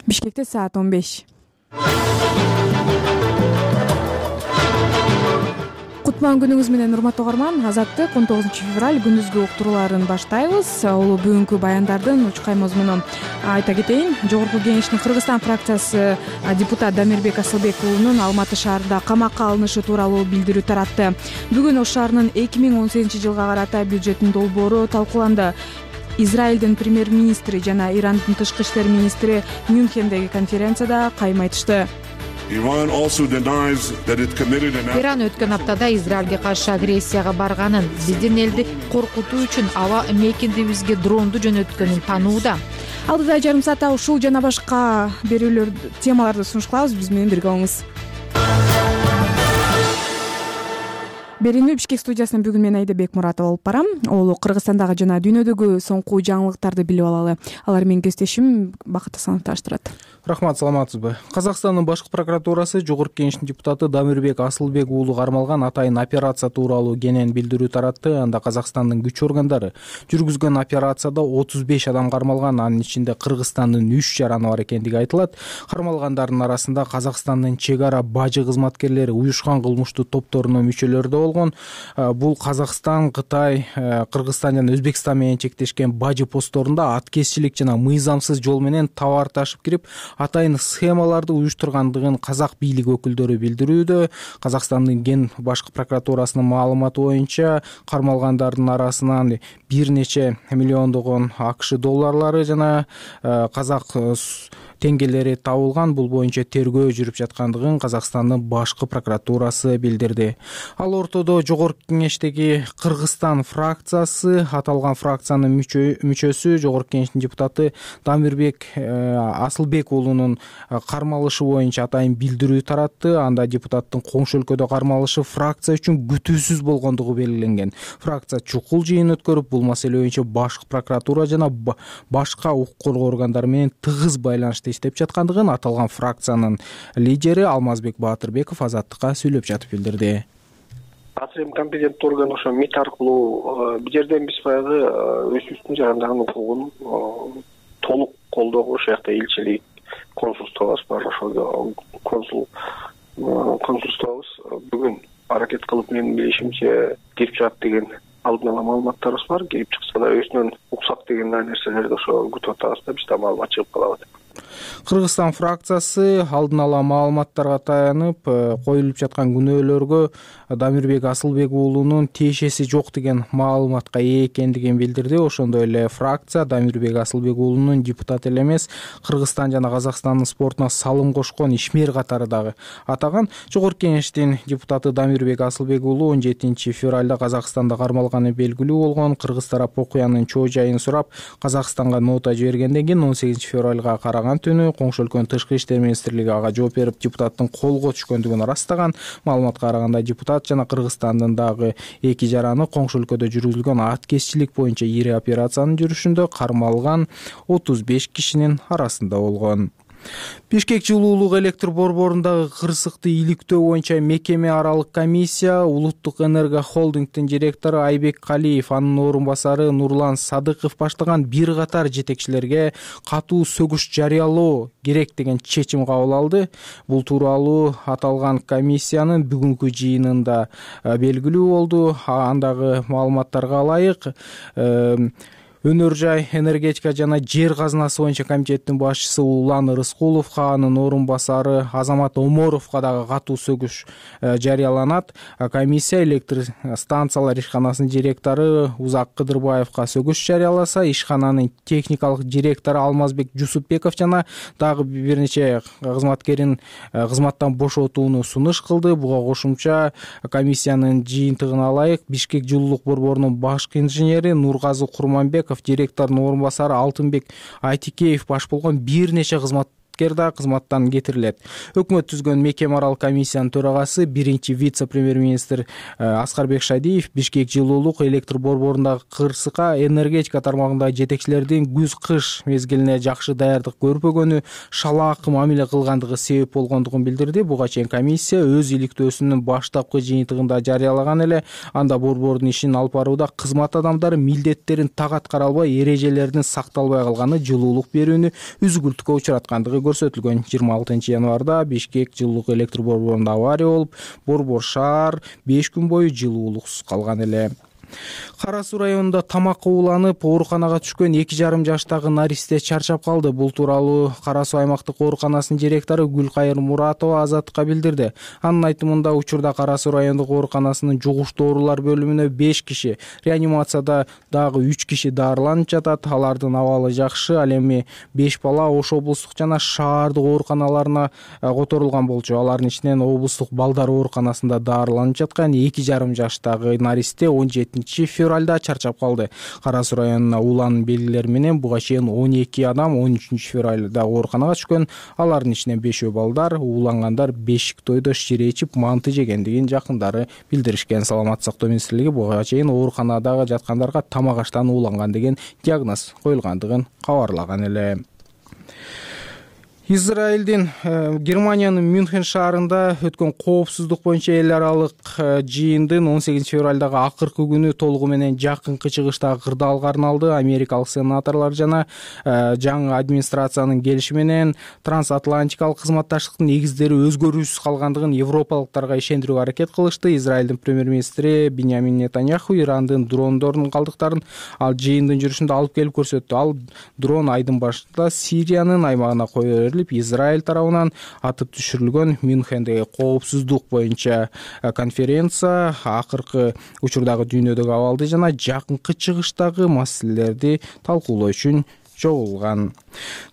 Бишкекте саат 15. Кутман күнүңүз менен урматтуу угарман. Азаттык 19 февраль күндүзгү уктурууларын баштайбыз. Улуу бүгүнкү баяндардын учкай мазмунун айта кетейин. Жогорку Кеңештин Кыргызстан фракциясы депутат Дамирбек Асылбек уулунун Алматы шаарында камакка алынышы тууралуу билдирүү таратты. Бүгүн Ош шаарынын 2018 жылга карата бюджеттин долбоору талкууланды. Израилдин премьер-министри жана Ирандын тышкы иштер министри Мюнхендеги конференцияда кайым айтышты. Иран өткөн аптада Израилге каршы агрессияга барганын, биздин элди коркутуу үчүн аба мейкиндибизге дронду жөнөткөнүн таанууда. Алдыда жарым саатта ушул жана башка берүүлөр темаларды сунуш кылабыз. Биз менен бирге болуңуз. Берүүнү Бишкек студиясынан бүгүн мен Айда Бекмуратова алып барам. Ол Кыргызстандагы жана дүйнөдөгү соңку жаңылыктарды билип алалы. Алар менин кесиптешим Бакыт Асанов таштырат. Рахмат, саламатсызбы? Казакстандын башкы прокуратурасы Жогорку Кеңештин депутаты Дамирбек Асылбек уулу кармалган атайын операция тууралуу кенен билдирүү таратты. Анда Казакстандын күч органдары жүргүзгөн операцияда 35 адам кармалган, анын ичинде Кыргызстандын 3 жараны бар экендиги айтылат. Кармалгандардын арасында Казакстандын чек ара бажы кызматкерлери, уюшкан кылмыштуу топторунун мүчөлөрү да болгон. Бул Казакстан, Кытай, Кыргызстан жана Өзбекстан менен чектешкен бажы постторунда аткезчилик жана мыйзамсыз жол менен товар ташып кирип, атайын схемаларды уюштургандыгын казак бийлиги өкүлдөрү билдирүүдө. Казакстандын ген башкы прокуратурасынын маалыматы боюнча кармалгандардын арасынан бир нече миллиондогон АКШ долларлары жана казак теңгелери табылган. Бул боюнча тергөө жүрүп жаткандыгын Казакстандын башкы прокуратурасы билдирди. Ал ортодо Жогорку Кеңештеги Кыргызстан фракциясы, аталган фракциянын мүчөсү Жогорку Кеңештин депутаты Дамирбек Асылбек уулунун кармалышы боюнча атайын билдирүү таратты. Анда депутаттын коңшу өлкөдө кармалышы фракция үчүн күтүүсүз болгондугу белгиленген. Фракция чукул жыйын өткөрүп, бул маселе боюнча башкы прокуратура жана башка укук коргоо органдары менен тыгыз байланышта иштеп жаткандыгын аталган фракциянын лидери Алмазбек Баатырбеков Азаттыкка сүйлөп жатып билдирди. Азыр эми компетенттүү орган ошо МИД аркылуу бул жерден биз баягы өзүбүздүн жарандаган укугун толук колдоого ошол жакта элчилик, консулствобуз бар, ошол консулствобуз бүгүн аракет кылып, менин билишимче кирип чыгат деген алдын ала маалыматтарыбыз бар. Кирип чыкса да өзүнөн уксак деген нерселерди ошо күтүп атабыз да, биз да маалымат чыгып калабы деп. Кыргызстан фракциясы алдын ала маалыматтарга таянып, коюлуп жаткан күнөөлөргө Дамирбек Асылбек уулунун тиешеси жок деген маалыматка ээ экендигин билдирди. Ошондой эле фракция Дамирбек Асылбек уулунун депутат эле эмес, Кыргызстан жана Казакстандын спортуна салым кошкон ишмер катары дагы атаган. Жогорку Кеңештин депутаты Дамирбек Асылбек уулу 17 февралда Казакстанда кармалганы белгилүү болгон. Кыргыз тарап окуянын чоо жайын сурап, Казакстанга нота жибергенден кийин 18 февралга караган түнү коңшу өлкөнүн тышкы иштер министрлиги ага жооп берип, депутаттын колго түшкөндүгүн ырастаган. Маалыматка караганда депутат жана Кыргызстандын дагы 2 жараны коңшу өлкөдө жүргүзүлгөн аткезчилик боюнча ири операциянын жүрүшүндө кармалган 35 кишинин арасында болгон. Бишкек жылуулук электр борборундагы кырсыкты иликтөө боюнча мекеме аралык комиссия Улуттук энерго холдингдин директору Айбек Калиев, анын орун басары Нурлан Садыков баштаган бир катар жетекчилерге катуу сөгүш жарыялоо керек деген чечим кабыл алды. Бул тууралуу аталган комиссиянын бүгүнкү жыйынында белгилүү болду. Андагы маалыматтарга ылайык, Өнөр жай, энергетика жана жер казынасы боюнча комитеттин башчысы Улан Рыскуловго, анын орун басары Азамат Оморовго дагы катуу сөгүш жарыяланат. Комиссия электр станциялар ишканасынын директору Узак Кыдырбаевга сөгүш жарыяласа, ишкананын техникалык директору Алмазбек Жусупбеков жана дагы бир нече кызматкерин кызматтан бошотууну сунуш кылды. Буга кошумча комиссиянын жыйынтыгына ылайык Бишкек жылуулук борборунун башкы инженери Нургазы Курманбеков, директордун орун басары Алтынбек Айтикеев баш болгон бир нече кызматкер да кызматтан кетирилет. Өкмөт түзгөн мекеме аралык комиссиянын төрагасы биринчи вице-премьер-министр Аскарбек Шадиев Бишкек жылуулук электр борборундагы кырсыкка энергетика тармагындагы жетекчилердин күз-кыш мезгилине жакшы даярдык көрбөгөнү, шалаак мамиле кылгандыгы себеп болгондугун билдирди. Буга чейин комиссия өз иликтөөсүнүн баштапкы жыйынтыгында жарыялаган эле. Анда борбордун ишин алып барууда кызмат адамдары милдеттерин так аткара албай, эрежелердин сакталбай калганы жылуулук берүүнү үзгүлтүккө учураткандыгы көрсөтүлгөн. 26 январда Бишкек жылуулук электр борборунда авария болуп, борбор шаар 5 күн бою жылуулуксуз калган эле. Кара Суу районунда тамакка ууланып ооруканага түшкөн 2,5 жаштагы наристе чарчап калды. Бул тууралуу Кара Суу аймактык ооруканасынын директору Гүлкайыр Муратова Азаттыкка билдирди. Анын айтымында учурда Кара Суу райондук ооруканасынын жугуштуу оорулар бөлүмүнө 5 киши, реанимацияда дагы 3 киши дарыланып жатат. Алардын абалы жакшы. Ал эми 5 бала Ош облустук жана шаардык ооруканаларына которулган болчу. Алардын ичинен облустук балдар ооруканасында дарыланып жаткан 2,5 жаштагы наристе 17 февралда чарчап калды. Кара Суу районуна ууланын белгилери менен буга чейин 12 адам 13 февралда ооруканага түшкөн. Алардын ичинен 5 балдар, уулангандар бешик тойдо шире ичип манты жегендигин жакындары билдиришкен. Саламаттык сактоо министрлиги буга чейин ооруканадагы жаткандарга тамак аштан ууланган деген диагноз коюлгандыгын кабарлаган эле. Израилдин Германиянын Мюнхен шаарында өткөн коопсуздук боюнча эл аралык жыйындын 18 февралдагы акыркы күнү толугу менен жакынкы чыгыштагы кырдаалга арналды. Америкалык сенаторлор жана жаңы администрациянын келиши менен трансатлантикалык кызматташтыктын негиздери өзгөрүүсүз калгандыгын европалыктарга ишендирүүгө аракет кылышты. Израилдин премьер-министри Биньямин Нетаньяху Ирандын дрондордун калдыктарын ал жыйындын жүрүшүндө алып келип көрсөттү. Ал дрон айдын башында Сириянын аймагына коюп Израиль тарабынан атып түшүрүлгөн Мюнхендеги коопсуздук боюнча конференция акыркы учурдагы дүйнөдөгү абалды жана жакынкы чыгыштагы маселелерди талкуулоо үчүн чогулган.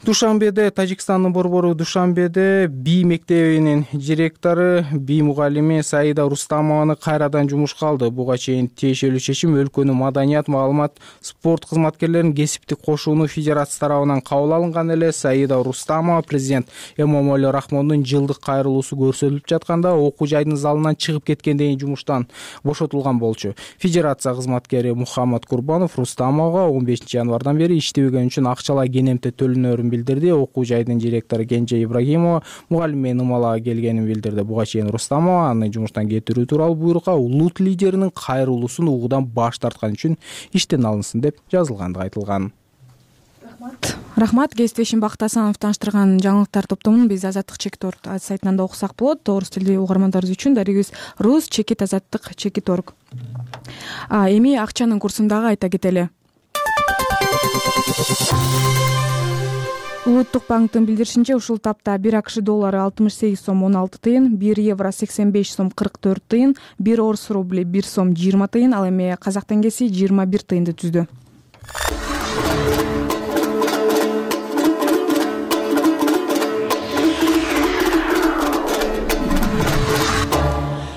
Душанбеде, Тажикстандын борбору Душанбеде БИ мектебинин директору, БИ мугалими Саида Рустамованы кайрадан жумушка алды. Буга чейин тиешелүү чечим өлкөнүн маданият, маалымат, спорт кызматкерлеринин кесиптик кошууну федерация тарабынан кабыл алынган эле. Саида Рустамова президент Эмомали Рахмондун жылдык кайрылуусу көрсөтүлүп жатканда окуу жайдын залынан чыгып кеткенден кийин жумуштан бошотулган болчу. Федерация кызматкери Мухаммад Курбанов Рустамовага 15 январдан бери иштебеген үчүн акчалай кенемте төлөнөрүн билдирди. Окуу жайдын директору Кенже Ибрагимова мугалим менен Умалага келгенин билдирди. Буга чейин Рустамова аны жумуштан кетирүү тууралуу буйрукка улут лидеринин кайрылуусун угуудан баш тарткан үчүн иштен алынсын деп жазылгандыгы айтылган. Рахмат. Кесиптешим Бакыт Асанов тааныштырган жаңылыктар топтомун биз Азаттык Чекит.орг сайтынан да окусак болот. Орус тилдүү угармандарыбыз үчүн дарегибиз Rus Чекит Азаттык Чекит.орg. Эми акчанын курсун дагы айта кетели. Улуттук банктын билдиришинче ушул тапта 1 АКШ доллары 68 сом 16 тыйын, 1 евро 85 сом 44 тыйын, 1 орус рубли 1 сом 20 тыйын, ал эми казак теңгеси 21 тыйынды түздү.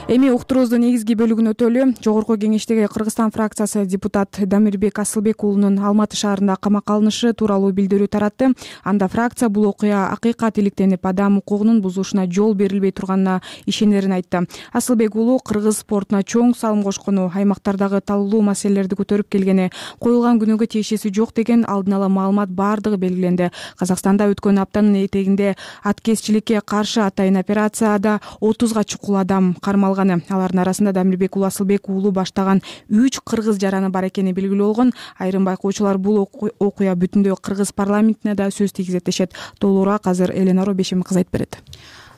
Эми уктуруубуздун негизги бөлүгүнө өтөлү. Жогорку кеңештеги Кыргызстан фракциясы депутат Дамирбек Асылбек уулунун Алматы шаарында камакка алынышы тууралуу билдирүү таратты. Анда фракция бул окуя акыйкат иликтенип, адам укугунун бузулушуна жол берилбей турганына ишенерин айтты. Асылбек уулу кыргыз спортуна чоң салым кошкону, аймактардагы талуулуу маселелерди көтөрүп келгени, коюлган күнөөгө тиешеси жок деген алдын ала маалымат бардыгы белгиленди. Казакстанда өткөн аптанын этегинде аткезчиликке каршы атайын операцияда 30га чукул адам кармалган. Алардын арасында Дамирбек уулу Асылбек уулу баштаган 3 кыргыз жараны бар экени белгилүү болгон. Айрым байкоочулар бул окуя бүтүндөй кыргыз парламентине да сөз тийгизет дешет. Толугураак азыр Эленора Бешем кыз айтып берет.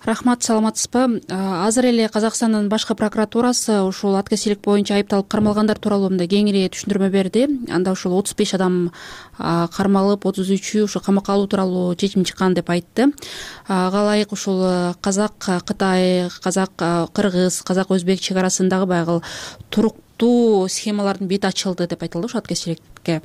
Рахмат, саламатсызбы? Азыр эле Казакстандын башкы прокуратурасы ушул аткезчилик боюнча айыпталып кармалгандар тууралуу мындай кеңири түшүндүрмө берди. Анда ушул 35 адам кармалып, 33-ü ушул камакка алуу тууралуу чечим чыккан деп айтты. Ага ылайык ушул казак Кытай, казак кыргыз, казак өзбек чек арасындагы баягы туруктуу схемалардын бети ачылды деп айтылды ушул аткезчиликке.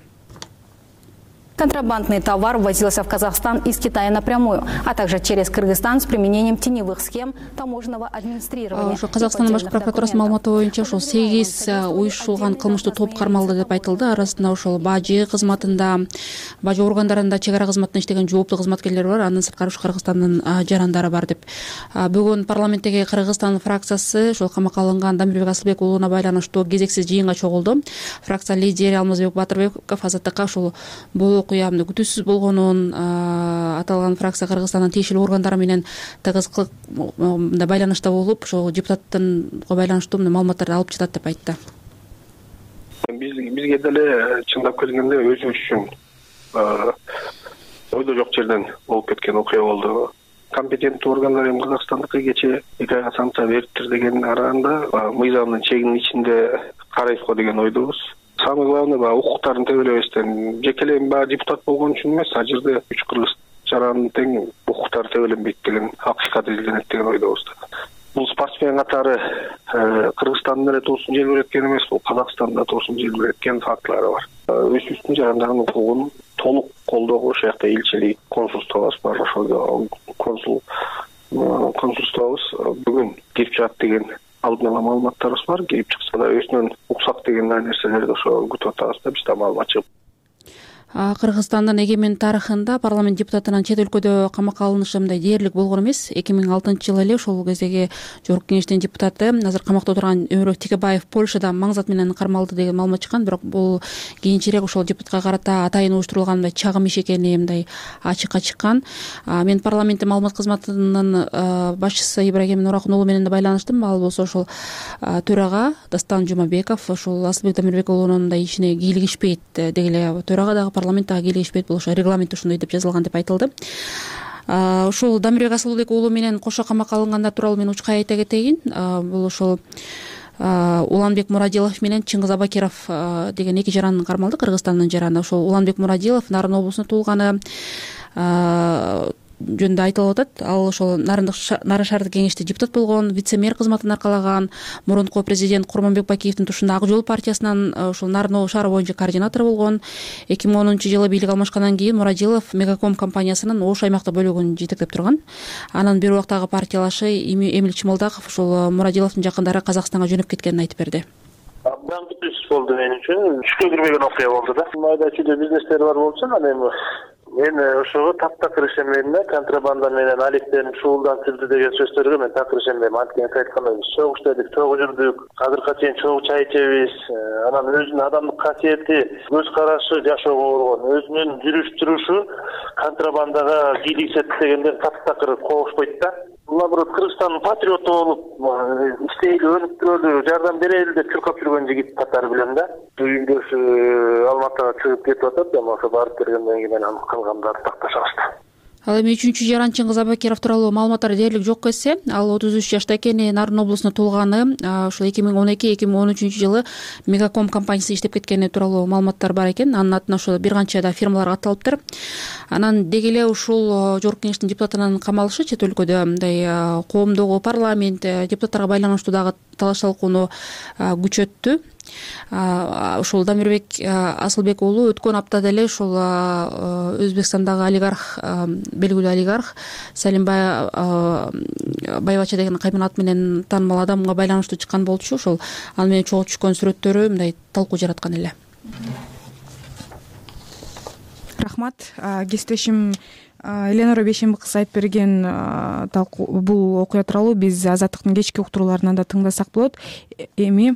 Контрабандный товар ввозился в Казахстан из Китая напрямую, а также через Кыргызстан с применением теневых схем таможенного администрирования. Казакстандын башкы прокуратурасынын маалыматы боюнча ушул 8 уюшулган кылмыштуу топ кармалды деп айтылды. Арасында ушул бажы кызматында, бажы органдарында чек ара кызматында иштеген жооптуу кызматкерлер бар. Андан сырткары ушу Кыргызстандын жарандары бар деп. Бүгүн парламенттеги Кыргызстан фракциясы ушул камакка алынган Дамирбек Асылбек уулуна байланыштуу кезексиз жыйынга чогулду. Фракция лидери Алмазбек Батырбеков Азаттыкка ушул бул окуя күтүүсүз болгонун, аталган фракция Кыргызстандын тиешелүү органдары менен тыгыз байланышта болуп, ошол депутаттынга байланыштуу маалыматтарды алып жатат деп айтты. Бизге деле чындап келгенде өзүбүз үчүн ойдо жок жерден болуп кеткен окуя болду. Компетенттүү органдар эми Казакстандыкы кечээ 2 айга санкция бериптир дегендин арасында мыйзамдын чегинин ичинде карайбызго деген ойдобуз. Самый главный укуктарын тебелебестен, жеке эле депутат болгон үчүн эмес, ал жерде үч кыргыз жарандын тең укуктары тебеленбейт деген акыйкат изилденет деген ойдобуз. Бул спортсмен катары Кыргызстандын эле туусун желбиреткен эмес, бул Казакстанда туусун желбиреткен фактылары бар. Өзүбүздүн жарандардын укугун толук колдоого ошол жакта элчилик, консулствобуз бар. Ошол консулствобуз бүгүн кирип чыгат деген алдын ала маалыматтарыбыз бар. Кирип чыкса да өзүнөн уксак деген нерселерди ошо күтүп атабыз да, бизде маалымат чыгып. Кыргызстандын эгемен тарыхында парламент депутатынын чет өлкөдө камакка алынышы мындай дээрлик болгон эмес. 2006-жылы эле ошол кездеги Жогорку Кеңештин депутаты, азыр камакта отурган Өмүрбек Текебаев Польшада маңзат менен кармалды деген маалымат чыккан, бирок бул кийинчерээк ошол депутатка карата атайын уюштурулган мындай чагым иш экени мындай ачыкка чыккан. Мен парламенттин маалымат кызматынын башчысы Ибрагим Нуракун уулу менен да байланыштым. Ал болсо ошол төрага Дастан Жумабеков ошол Асылбек Дамирбек уулунун мындай ишине кийлигишпейт деги эле төрага дагы парламенттага кийлигишпейт, бул ошо регламент ушундай деп жазылган деп айтылды. Ошол Дамирбек Асылбек уулу менен кошо камакка алынгандар тууралуу мен учкай айта кетейин. Бул ошол Уланбек Мурадилов менен Чыңгыз Абакиров деген 2 жаран кармалды, Кыргызстандын жараны. Ошол Уланбек Мурадилов Нарын облусунда туулганы жөнүндө айтылып атат. Ал ошол Нарын шаардык кеңеште депутат болгон, вице-мэр кызматын аркалаган, мурунку президент Курманбек Бакиевдин тушунда Ак жол партиясынан ошол Нарын шаары боюнча координатор болгон. 2010-жылы бийлик алмашкандан кийин Мурадилов Мегаком компаниясынын Ош аймактык бөлүгүн жетектеп турган. Анан бир убактагы партиялашы Эмил Чымылдаков ошол Мурадиловдун жакындары Казакстанга жөнөп кеткенин айтып берди. Абдан күтүүсүз болду мен үчүн. Түшкө кирбеген окуя болду да. Майда чүйдө бизнестер бар болчу, анан эми мен ошого таптакыр ишенбейм да. Контрабанда менен алектенип шуулдантылды деген сөздөргө мен такыр ишенбейм. Анткени айткандай чогуу иштедик, чогуу жүрдүк, азыркыга чейин чогуу чай ичебиз. Анан өзүнүн адамдык касиети, көз карашы жашоого болгон, өзүнүн жүрүш турушу контрабандага кийлигишет дегенден таптакыр кобушпойт да. Наоборот, Кыргызстандын патриоту болуп, иштейли, өнүктүрөлү, жардам берели деп чуркап жүргөн жигит катары билем да. Үйүндөш Алматыга чыгып кетип атат, эми ошо барып бергенден кийин анан калгандары такташабызды. Ал эми 3-чү жаран Чыңгыз Абакиров тууралуу маалыматтар дээрлик жок кетсе, ал 33 жашта экени, Нарын облусунда туулганы, ошол 2012-2013 жылы Мегаком компаниясында иштеп кеткени тууралуу маалыматтар бар экен. Анын атына ошо бир канча да фирмалар катталыптыр. Анан деги эле ушул Жогорку Кеңештин депутатынын камалышы чет өлкөдө мындай коомдогу, парламент, депутаттарга байланыштуу дагы талаш талкууну күчөттү. Ошол Дамирбек Асылбек уулу өткөн аптада эле ошол Өзбекстандагы олигарх, белгилүү олигарх Салимбай Байбача деген кайын ат менен таанымал адамга байланыштуу чыккан болчу. Ошол ал менен чогуу түшкөн сүрөттөрү мындай талкуу жараткан эле. Рахмат. Кесиптешим Эленора Бейшенби кызы айтып берген бул окуя тууралуу биз Азаттыктын кечки уктурууларынан да тыңдасак болот. Эми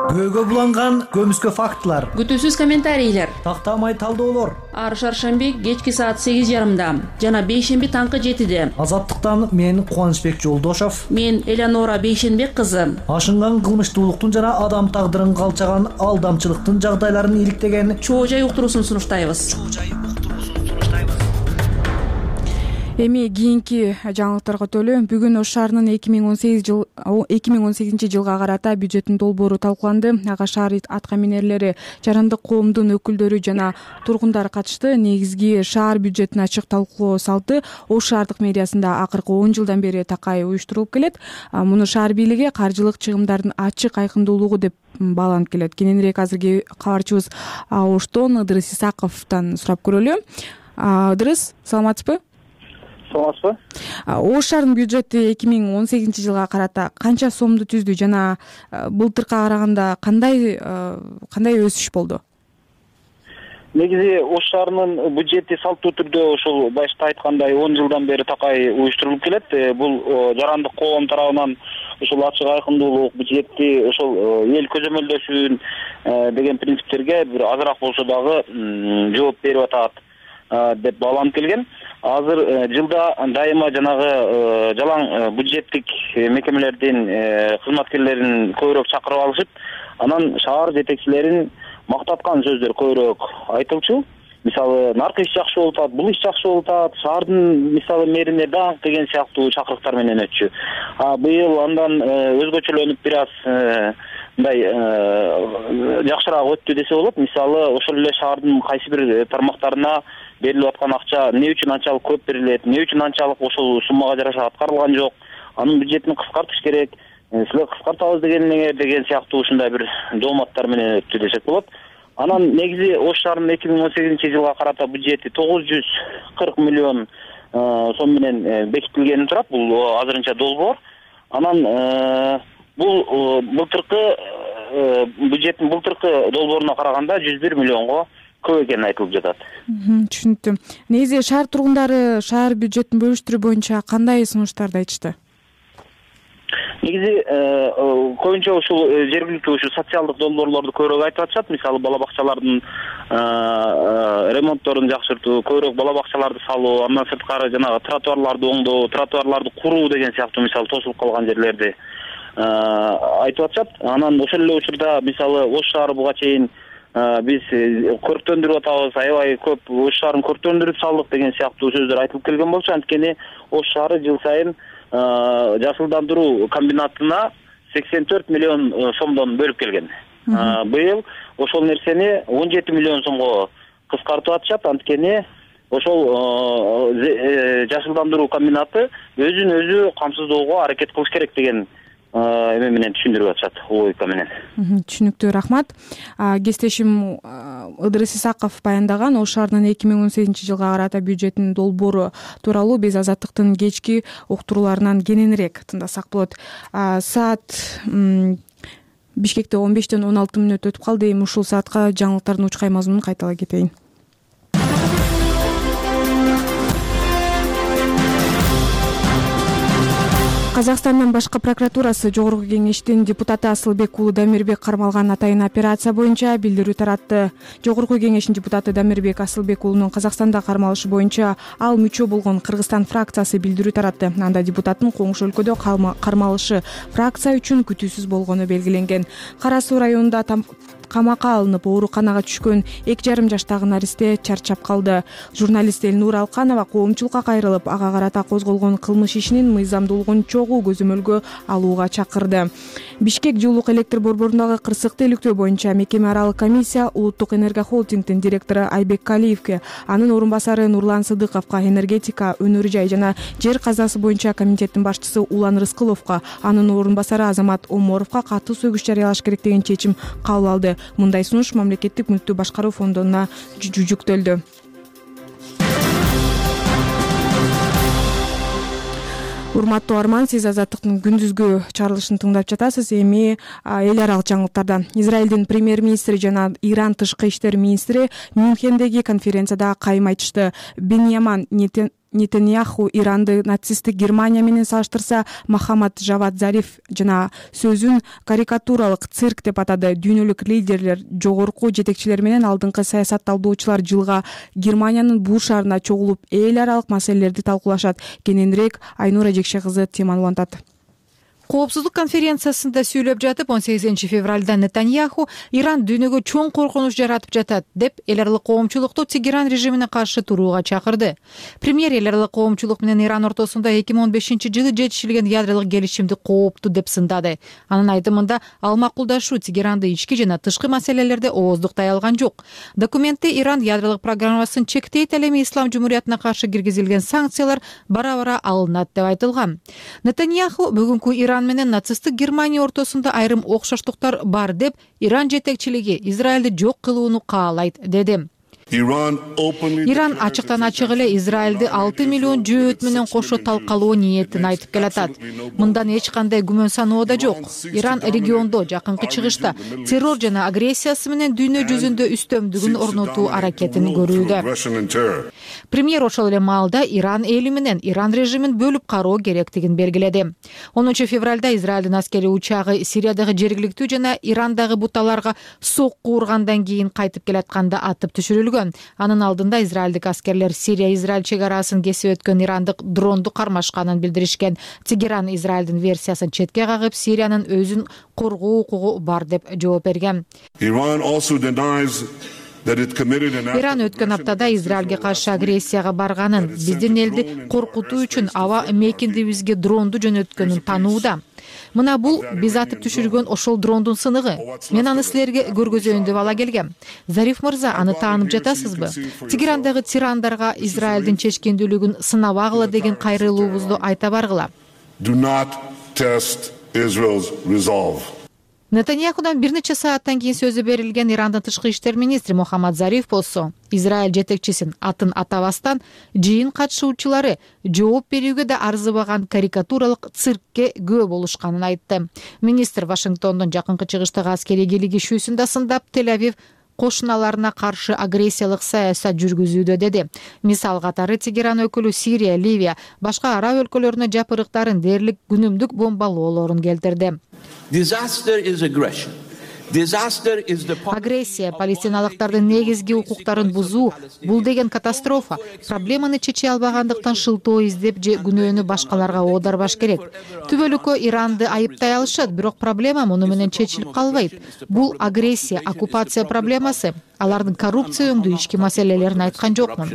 Көөгө буланган көмүскө фактылар, Күтүүсүз комментарийлер, тактамай талдоолор. Ар шаршемби кечки саат 8:30, жана бейшемби таңкы 7-де. Азаттыктан мен Кубанычбек Жолдошов, мен Эленора Бейшенбек кызы. Ашынган кылмыштуулуктун жана адам тагдырын калчаган алдамчылыктын жагдайларын иликтеген Чоо жай уктуруусун сунуштайбыз. Эми кийинки жаңылыктарга өтөлү. Бүгүн Ош шаарынын 2018 жылга карата бюджеттин долбоору талкууланды. Ага шаар аткаминерлери, жарандык коомдун өкүлдөрү жана тургундар катышты. Негизги шаар бюджетин ачык талкуулоо салты Ош шаардык мэриясында акыркы 10 жылдан бери такай уюштурулуп келет. Муну шаар бийлиги каржылык чыгымдардын ачык айкындуулугу деп бааланып келет. Кененирээк азыркы кабарчыбыз Оштон Ыдырыс Исаковдон сурап көрөлү. Ыдырыс, саламатсызбы? Саламатсызбы? Ош шаарынын бюджети 2018 жылга карата канча сомду түздү жана былтыркыга караганда кандай өсүш болду? Негизи Ош шаарынын бюджети салттуу түрдө ошол башта айткандай 10 жылдан бери такай уюштурулуп келет. Бул жарандык коом тарабынан ошол ачык айкындуулук, бюджетти ошол эл көзөмөлдөшүн деген принциптерге бир азыраак болсо дагы жооп берип атат деп бааланып келген. Азыр жылда дайыма жанагы жалаң бюджеттик мекемелердин кызматкерлерин көбүрөөк чакырып алышып, анан шаар жетекчилерин мактаткан сөздөр көбүрөөк айтылчу. мисалы наркы иш жакшы болуп атат, бул иш жакшы болуп атат, шаардын мисалы мэрине даңк деген сыяктуу чакырыктар менен өтчү. Быйыл андан өзгөчөлөнүп бир аз мындай жакшыраак өттү десе болот. Мисалы ошол эле шаардын кайсы бир тармактарына берилип аткан акча эмне үчүн анчалык көп берилет, эмне үчүн анчалык ошол суммага жараша аткарылган жок, анын бюджетин кыскартыш керек, силер кыскартабыз деген сыяктуу ушундай бир дооматтар менен өттү десек болот. Анан негизи Ош шаарынын 2018-жылга карата бюджети 940 миллион сом менен бекитилгени турат. Бул азырынча долбоор. Анан бул былтыркы бюджеттин былтыркы долбооруна караганда 101 миллионго көп экени айтылып жатат. Түшүнүктү. Негизи шаар тургундары шаар бюджетин бөлүштүрүү боюнча кандай сунуштарды айтышты? Негизи көбүнчө ушул жергиликтүү ушу социалдык долбоорлорду көбүрөөк айтып атышат. Мисалы бала бакчалардын ремонтторун жакшыртуу, көбүрөөк бала бакчаларды салуу, андан сырткары жанагы тротуарларды оңдоо, тротуарларды куруу деген сыяктуу мисалы тосулуп калган жерлерди айтып атышат. Анан ошол эле учурда мисалы Ош шаары буга чейин биз көрктөндүрүп атабыз, аябай көп Ош шаарын көрктөндүрүп салдык деген сыяктуу сөздөр айтылып келген болчу. Анткени Ош шаары жыл сайын жашылдандыруу комбинатына 84 миллион сомдон бөлүп келген. Быйыл ошол нерсени 17 миллион сомго кыскартып атышат. Анткени ошол жашылдандыруу комбинаты өзүн өзү камсыздоого аракет кылыш керек деген эме менен түшүндүрүп атышат, логика менен. Түшүнүктүү, рахмат. Кесиптешим Ыдырыс Исаков баяндаган Ош шаарынын 2018-жылга карата бюджетинин долбоору тууралуу биз Азаттыктын кечки уктурууларынан кененирээк тыңдасак болот. Саат Бишкекте 15-тен 16 мүнөт өтүп калды. Эми ушул саатка жаңылыктардын учкай мазмунун кайталай кетейин. Казакстандын башкы прокуратурасы Жогорку кеңештин депутаты Асылбек уулу Дамирбек кармалган атайын операция боюнча билдирүү таратты. Жогорку кеңештин депутаты Дамирбек Асылбек уулунун Казакстанда кармалышы боюнча ал мүчө болгон Кыргызстан фракциясы билдирүү таратты. Анда депутаттын коңшу өлкөдө кармалышы фракция үчүн күтүүсүз болгону белгиленген. Кара Суу районунда камакка алынып ооруканага түшкөн 2,5 жаштагы наристе чарчап калды. Журналист Элнур Алканова коомчулукка кайрылып, ага карата козголгон кылмыш ишинин мыйзамдуулугун чогуу көзөмөлгө алууга чакырды. Бишкек жылуулук электр борборундагы кырсыкты иликтөө боюнча мекеме аралык комиссия Улуттук энергохолдингдин директору Айбек Калиевке, анын орун басары Нурлан Сыдыковго, энергетика, өнөр жай жана жер казасы боюнча комитеттин башчысы Улан Рыскыловго, анын орун басары Азамат Оморовго катуу сөгүш жарыялаш керек деген чечим кабыл алды. Мындай сунуш мамлекеттик мүлктү башкаруу фондуна жүктөлдү. Урматтуу Арман, сиз Азаттыктын күндүзгү чарылышын тыңдап жатасыз. Эми эл аралык жаңылыктардан. Израилдин премьер-министри жана Иран тышкы иштер министри Мюнхендеги конференцияда кайым айтышты. Беньямин Нетаньяху Иранды нацисттик Германия менен салыштырса, Мохаммад Жавад Зариф жана сөзүн карикатуралык цирк деп атады. Дүйнөлүк лидерлер, жогорку жетекчилер менен алдыңкы саясатталдоочулар жылга Германиянын бул шаарына чогулуп, эл аралык маселелерди талкуулашат. Кененирээк Айнура Жекше кызы теманы улантат. Коопсуздук конференциясында сүйлөп жатып 18 февралда Нетаньяху Иран дүйнөгө чоң коркунуч жаратып жатат деп эл аралык коомчулукту Тегеран режимине каршы турууга чакырды. Премьер эл аралык коомчулук менен Иран ортосунда 2015-жылы жетишилген ядролук келишимди кооптуу деп сындады. Анын айтымында ал макулдашуу Тегеранды ички жана тышкы маселелерде ооздуктай алган жок. Документте Иран ядролук программасын чектейт, ал эми Ислам жумуриятына каршы киргизилген санкциялар бара-бара алынат деп айтылган. Нетаньяху бүгүнкү Иран менен нацисттик Германия ортосунда айрым окшоштуктар бар деп Иран жетекчилиги Израилди жок кылууну каалайт деди. Иран ачыктан ачык эле Израилди 6 миллион жөөт менен кошо талкалоо ниетин айтып келатат. Мындан эч кандай күмөн саноо да жок. Иран региондо жакынкы чыгышта террор жана агрессиясы менен дүйнө жүзүндө үстөмдүгүн орнотуу аракетин көрүүдө. Премьер ошол эле маалда Иран эли менен Иран режимин бөлүп кароо керектигин белгиледи. 10 февралда Израилдин аскери учагы Сириядагы жергиликтүү жана Ирандагы буталарга сокку ургандан кийин кайтып келатканда атып түшүрүлгөн. Анын алдында израилдик аскерлер Сирия-Израиль чек арасын кесип өткөн ирандык дронду кармашканын билдиришкен. Тегеран Израилдин версиясын четке кагып, Сириянын өзүн коргоо укугу бар деп жооп берген. Иран өткөн аптада Израилге каршы агрессияга барганын, биздин элди коркутуу үчүн аба мейкиндибизге дронду жөнөткөнүн танууда. Мына бул биз атып түшүргөн ошол дрондун сыныгы. Мен аны силерге көргөзөйүн деп ала келгем. Зариф мырза, аны таанып жатасызбы? Тегерандагы тирандарга Израилдин чечкендүүлүгүн сынабагыла деген кайрылуубузду айта баргыла. Нетаньяхудан бир нече сааттан кийин сөзү берилген Ирандын тышкы иштер министри Мухаммад Зариф болсо, Израиль жетекчисин атын атабастан жыйын катышуучулары жооп берүүгө да арзыбаган карикатуралык циркке күбө болушканын айтты. Министр Вашингтондун жакынкы чыгыштагы аскерий кийлигишүүсүн да сындап, Тель-Авив кошуналарына каршы агрессиялык саясат жүргүзүүдө деди. Мисал катары Тегеран өкүлү Сирия, Ливия, башка араб өлкөлөрүнө жапырыктарын дээрлик күнүмдүк бомбалоолорун келтирди. Агрессия, палестиналыктардын негизги укуктарын бузуу, бул деген катастрофа. Проблеманы чече албагандыктан шылтоо издеп же күнөөнү башкаларга оодарбаш керек. Түбөлүккө Иранды айыптай алышат, бирок проблема муну менен чечилип калбайт. Бул агрессия, оккупация проблемасы. Алардын коррупция өңдүү ички маселелерин айткан жокмун.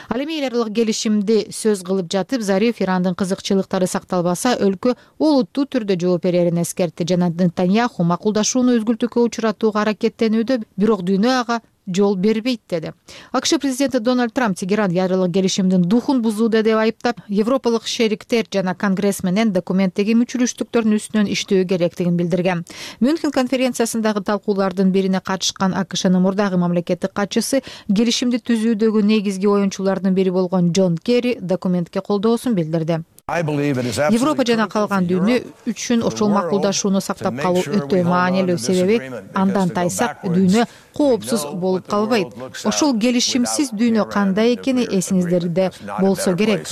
Ал эми эл аралык келишимди сөз кылып жатып, Зариф Ирандын кызыкчылыктары сакталбаса, өлкө олуттуу түрдө жооп берерин эскертти жана Нетаньяху макулдашууну үзгүлтүүгө учуратууга аракеттенүүдө, бирок дүйнө ага жол бербейт деди. АКШ президенти Дональд Трамп Тегеран ядролук келишимдин духун бузууда деп айыптап, европалык шериктер жана конгресс менен документтеги мүчүлүштүктөрдүн үстүнөн иштөө керектигин билдирген. Мюнхен конференциясындагы талкуулардын бирине катышкан АКШнын мурдагы мамлекеттик катчысы келишимди түзүүдөгү негизги оюнчулардын бири болгон Джон Керри документке колдоосун билдирди. Европа жана калган дүйнө үчүн ошол макулдашууну сактап калуу өтө маанилүү, себеби андан тайсак дүйнө коопсуз болуп калбайт. Ошол келишимсиз дүйнө кандай экени эсиңиздерде болсо керек.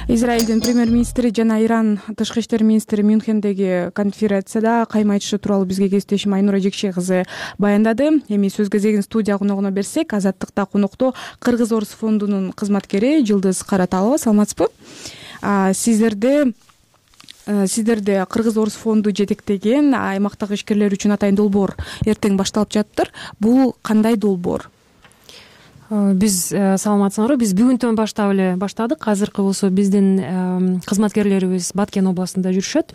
Израилдин премьер-министри жана Иран тышкы иштер министри Мюнхендеги конференцияда кайма айтышы тууралуу бизге кесиптешим Айнура Жекше кызы баяндады. Эми сөз кезегин студия коногуна берсек, Азаттыкта конокто Кыргыз Орус фондунун кызматкери Жылдыз Караталова. Саламатсызбы? Сиздерде Кыргыз Орус фонду жетектеген аймактагы ишкерлер үчүн атайын долбоор эртең башталып жатыптыр. Бул кандай долбоор? Биз саламатсыңарбы? Биз бүгүнтөн баштадык. Азыркы болсо биздин кызматкерлерибиз Баткен областында жүрүшөт.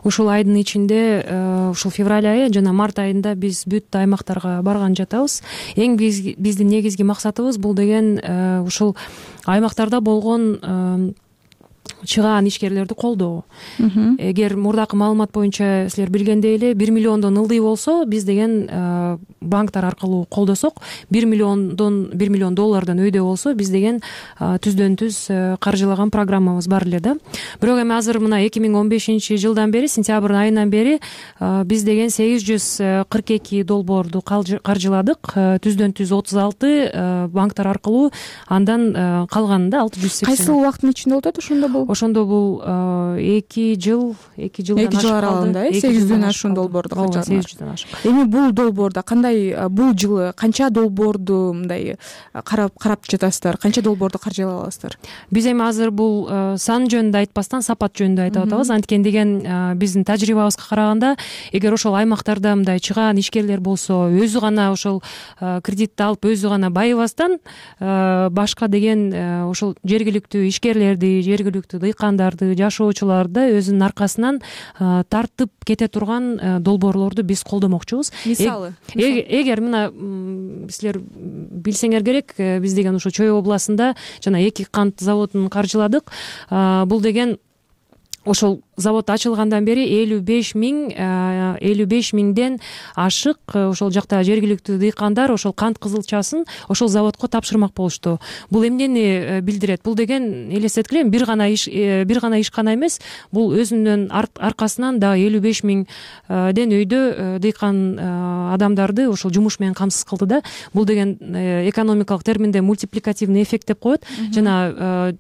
Ушул айдын ичинде, ушул февраль айы жана март айында биз бүт аймактарга барган жатабыз. Эң биздин негизги максатыбыз бул деген ушул аймактарда болгон чыгаан ишкерлерди колдоо. Эгер мурдакы маалымат боюнча силер билгендей эле 1 миллиондон ылдый болсо, биз деген банктар аркылуу колдосок, 1 миллион доллардан өйдө болсо, биз деген түздөн түз каржылаган программабыз бар эле да. Бирок эми азыр мына 2015-жылдан бери, сентябрь айынан бери биз деген 842 долбоорду каржыладык. Түздөн түз 36 банктар аркылуу, андан калганында 680. Кайсы убакыттын ичинде болуп атат ошондо бул? Ошондо бул 2 жыл аралыгында 800дөн ашуун долбоорду каржыладым. Эми бул долбоордо бул жылы канча долбоорду мындай карап жатасыздар? Канча долбоорду каржылай аласыздар? Биз эми азыр бул сан жөнүндө айтпастан сапат жөнүндө айтып атабыз. Анткени деген биздин тажрыйбабызга караганда, эгер ошол аймактарда мындай чыгаан ишкерлер болсо, өзү гана ошол кредитти алып, өзү гана байыбастан, башка деген ошол жергиликтүү ишкерлерди, жергиликтүү дыйкандарды, жашоочуларды өзүнүн аркасынан тартып кете турган долбоорлорду биз колдомокчубуз. Мисалы? Эгер мына силер билсеңер керек, биз деген ушу Чүй областында жана 2 кант заводун каржыладык. Бул деген ошол завод ачылгандан бери 55 миңден ашык ошол жакта жергиликтүү дыйкандар ошол кант кызылчасын ошол заводко тапшырмак болушту. Бул эмнени билдирет? Бул деген элестеткиле бир гана ишкана эмес, бул өзүнүн аркасынан да 55 миңден өйдө дыйкан адамдарды ошол жумуш менен камсыз кылды да. Бул деген экономикалык терминде мультипликативный эффект деп коет. Жана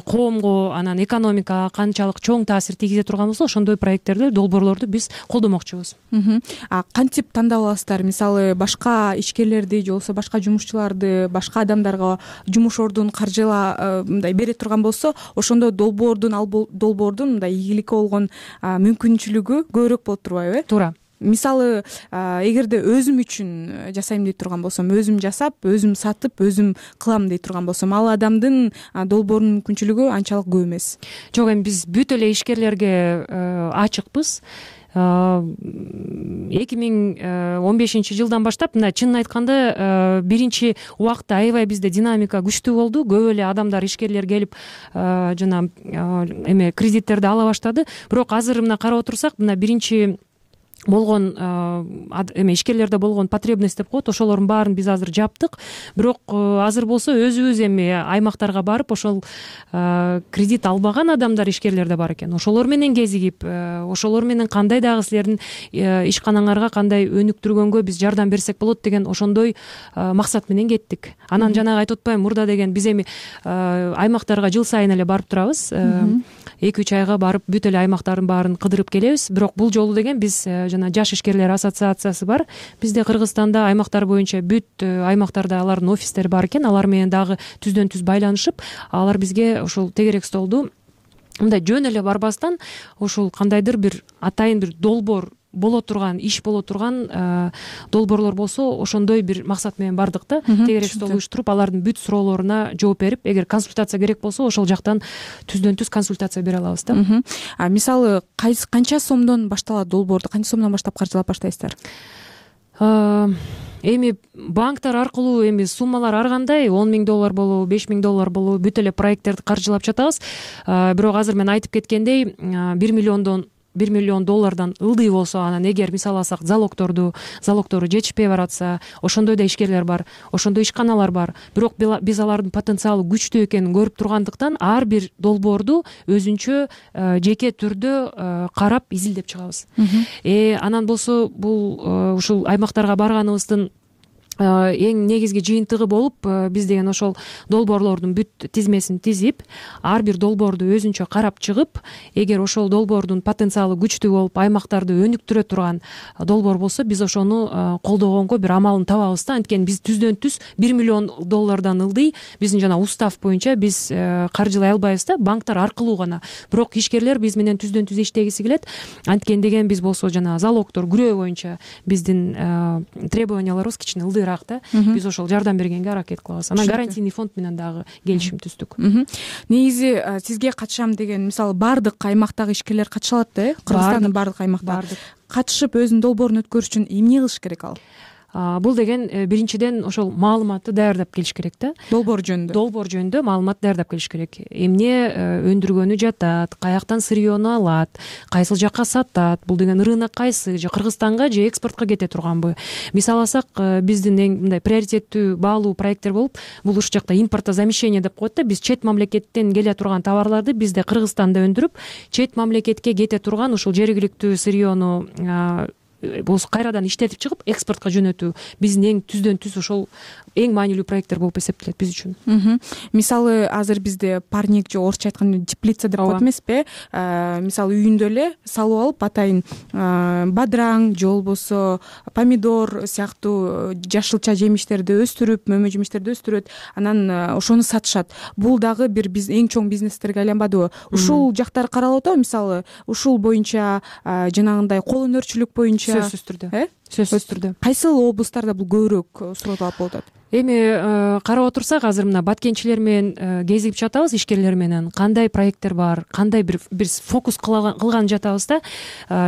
коомго, анан экономикага канчалык чоң таасир тийгизе турган болсо, ошондой проекттерди, долбоорлорду биз колдомокчубуз. Кантип тандап аласыздар? Мисалы, башка ишкерлерди же болбосо башка жумушчуларды, башка адамдарга жумуш ордун мындай бере турган болсо, ошондо долбоордун мындай ийгиликке болгон мүмкүнчүлүгү көбүрөөк болуп турбайбы? Туура. мисалы эгерде өзүм үчүн жасайм дей турган болсом, өзүм жасап, өзүм сатып, өзүм кылам дей турган болсом, ал адамдын долбоорунун мүмкүнчүлүгү анчалык көп эмес. Жок, эми биз бүт эле ишкерлерге ачыкпыз. 2015 жылдан баштап, мына чынын айтканда биринчи убакта аябай бизде динамика күчтүү болду. Көп эле адамдар, ишкерлер келип жана эме кредиттерди ала баштады. Бирок азыр мына карап отурсак, мына биринчи болгон эме ишкерлерде болгон потребность деп коет, ошолордун баарын биз азыр жаптык. Бирок азыр болсо өзүбүз эми аймактарга барып, ошол кредит албаган адамдар, ишкерлер да бар экен. Ошолор менен кезигип, ошолор менен кандай дагы силердин ишканаңарга кандай өнүктүргөнгө биз жардам берсек болот деген ошондой максат менен кеттик. Анан жанагы айтып атпаймынбы, мурда деген биз эми аймактарга жыл сайын эле барып турабыз. 2-3 айга барып бүт эле аймактардын баарын кыдырып келебиз. Бирок бул жолу деген биз жана жаш ишкерлер ассоциациясы бар. Бизде Кыргызстанда аймактар боюнча бүт аймактарда алардын офистери бар экен. Алар менен дагы түздөн түз байланышып, алар бизге ошол тегерек столду мындай жөн эле барбастан, ошол кандайдыр бир атайын бир долбоор боло турган, иш боло турган долбоорлор болсо, ошондой бир максат менен бардык да. Тегерек стол уюштуруп, алардын бүт суроолоруна жооп берип, эгер консультация керек болсо, ошол жактан түздөн түз консультация бере алабыз да. Мисалы, канча сомдон башталат долбоорду? Канча сомдон баштап каржылап баштайсыздар? Эми банктар аркылуу эми суммалар ар кандай, $10,000 болобу, $5,000 болобу, бүт эле проекттерди каржылап жатабыз. Бирок азыр мен айтып кеткендей, $1 миллион ылдый болсо, анан эгер мисалы алсак залогтору жетишпей баратса, ошондой да ишкерлер бар, ошондой ишканалар бар. Бирок биз алардын потенциалы күчтүү экенин көрүп тургандыктан, ар бир долбоорду өзүнчө жеке түрдө карап, изилдеп чыгабыз. Анан болсо бул ушул аймактарга барганыбыздын эң негизги жыйынтыгы болуп, биз деген ошол долбоорлордун бүт тизмесин тизип, ар бир долбоорду өзүнчө карап чыгып, эгер ошол долбоордун потенциалы күчтүү болуп, аймактарды өнүктүрө турган долбоор болсо, биз ошону колдогонго бир амалын табабыз да. Анткени биз түздөн түз $1 миллион ылдый биздин жана устав боюнча биз каржылай албайбыз да, банктар аркылуу гана. Бирок ишкерлер биз менен түздөн түз иштегиси келет. Анткени деген биз болсо жана залогтор күрөө боюнча биздин требованияларыбыз кичине ылдый. Биз ошол жардам бергенге аракет кылабыз. Анан гарантийный фонд менен дагы келишим түздүк. Негизи сизге катышам деген, мисалы, бардык аймактагы ишкерлер катыша алат да, Кыргызстандын бардык аймактары. Катышып өзүнүн долбоорун өткөрүш үчүн эмне кылыш керек ал? Бул деген биринчиден ошол маалыматты даярдап келиш керек да. Долбоор жөнүндө маалымат даярдап келиш керек. Эмне өндүргөнү жатат, каяктан сырьёну алат, кайсыл жакка сатат, бул деген рынок кайсы, же Кыргызстанга же экспортко кете турганбы? Мисалы алсак, биздин эң мындай приоритеттүү баалуу проекттер болуп, бул уш жакта импортозамещение деп коет да. Биз чет мамлекеттен келе турган товарларды бизде Кыргызстанда өндүрүп, чет мамлекетке кете турган ушул жергиликтүү сырьёну болсо кайрадан иштетип чыгып экспортко жөнөтүү биздин эң түздөн түз ошол эң маанилүү проекттер болуп эсептелет биз үчүн. Мисалы, азыр бизде парник же орусча айтканда теплица деп коет эмеспи? Мисалы, үйүндө эле салып алып, атайын бадыраң же болбосо помидор сыяктуу жашылча жемиштерди өстүрүп, мөмө жемиштерди өстүрөт, анан ошону сатышат. Бул дагы бир эң чоң бизнестерге айланбадыбы? Ушул жактар каралып атабы? Мисалы, ушул боюнча жанагындай кол өнөрчүлүк боюнча сөзсүз түрдө. Кайсыл облустарда бул көбүрөөк суротулат болуп атат? Эми карап отурсак, азыр мына баткенчилер менен кезигип жатабыз, ишкерлер менен. Кандай проекттер бар, кандай бир фокус кылган жатабыз да.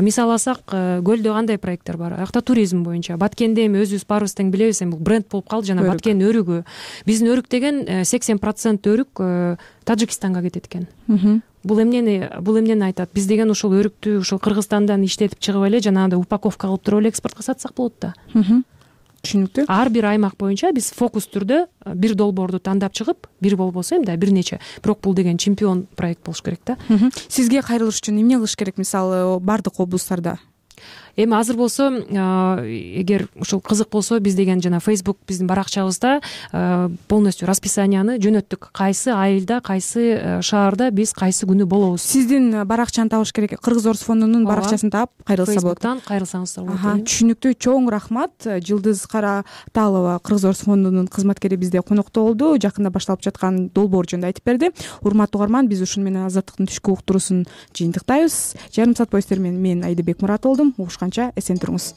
Мисалы алсак, көлдө кандай проекттер бар? Аякта туризм боюнча. Баткенде эми өзүбүз баарыбыз тең билебиз, эми бул бренд болуп калды жана Баткен өрүгү. Биздин өрүк деген 80% өрүк Тажикстанга кетет экен. Бул эмнени айтат? Биз деген ушул өрүктү ушул Кыргызстандан иштетип чыгып эле жанагындай упаковка кылып туруп эле экспортко сатсак болот да. Түшүнүктүү. Ар бир аймак боюнча биз фокус түрдө бир долбоорду тандап чыгып, бир болбосо эми да бир нече, бирок бул деген чемпион проект болуш керек да. Сизге кайрылыш үчүн эмне кылыш керек, мисалы, бардык облустарда? Эми азыр болсо, эгер ушул кызык болсо, биз деген жана Facebook биздин баракчабызда полностью расписанияны жөнөттүк. Кайсы айылда, кайсы шаарда биз кайсы күнү болобуз. Сиздин баракчаны табыш керек. Кыргыз Орус фондунун баракчасын таап кайрылса болот. Facebook'тан кайрылсаңыздар болот. Түшүнүктүү. Чоң рахмат. Жылдыз Караталова, Кыргыз Орус фондунун кызматкери bizde конокто болду. Жакында башталып жаткан долбоор жөнүндө айтып берди. Урматтуу угарман, биз ушуну менен Азаттыктын түшкү уктуруусун жыйынтыктайбыз. Жарым саат бою сиздер менен мен Айдыбек Мурат болдум. Угушкан жолугушканча эсен туруңуз.